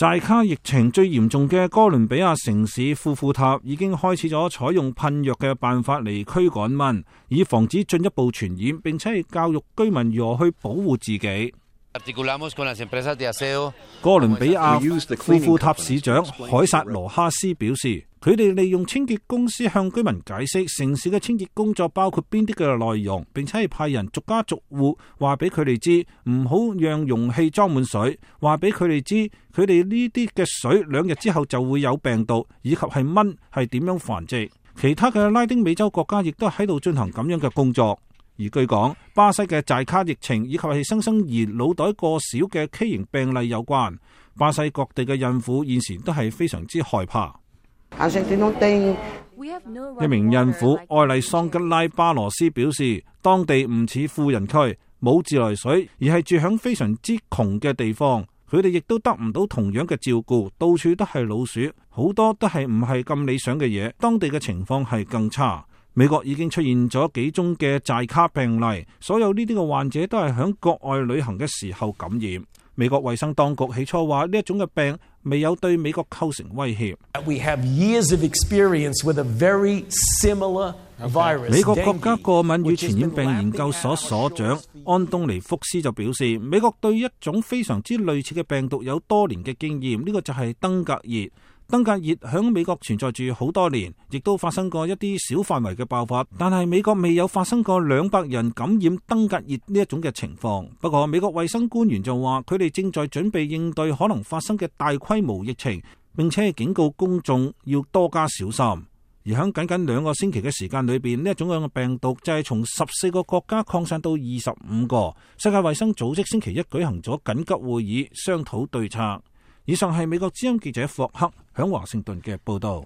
寨卡疫情最嚴重嘅哥倫比亞城市庫庫塔已經開始咗採用噴藥嘅辦法嚟驅趕蚊，以防止進一步傳染，並且係教育居民如何去保護自己。哥倫比亞庫庫塔市長凱撒羅哈斯表示，佢哋利用清潔公司向居民解釋城市嘅清潔工作包括邊啲嘅內容，並且係派人逐家逐戶話俾佢哋知，唔好讓容器裝滿水，話俾佢哋知佢哋呢啲嘅水2日之後就會有病毒，以及係蚊係點樣繁殖。其他嘅拉丁美洲國家亦都喺度進行咁樣嘅工作。而據講，巴西嘅寨卡疫情以及係新生兒腦袋過小嘅畸形病例有關。巴西各地嘅孕婦現時都係非常之害怕。一名孕婦愛麗桑吉拉巴羅斯表示，當地唔似富人區，冇自來水，而係住響非常之窮嘅地方。佢哋亦都得唔到同樣嘅照顧，到處都係老鼠，好多都係唔係咁理想嘅嘢。當地嘅情況係更差。美國已經出現咗幾宗嘅寨卡病例，所有呢啲嘅患者都係響國外旅行嘅時候感染。美國衛生當局起初話呢一種嘅病未有對美國構成威脅。美國國家過敏與傳染病研究所所長安東尼福斯就表示，美國對一種非常之類似嘅病毒有多年嘅經驗，呢個就係登革熱。登革熱響美國存在住好多年，亦都發生過一啲小範圍嘅爆發，但係美國未有發生過200人感染登革熱呢一種嘅情況。不過美國衛生官員就話，佢哋正在準備應對可能發生嘅大規模疫情，並且警告公眾要多加小心。而響僅僅2個星期嘅時間裏邊，呢一種樣嘅病毒就係從14個國家擴散到25個。世界衛生組織星期一舉行咗緊急會議，商討對策。以上係美國之音記者霍克響華盛頓嘅報道。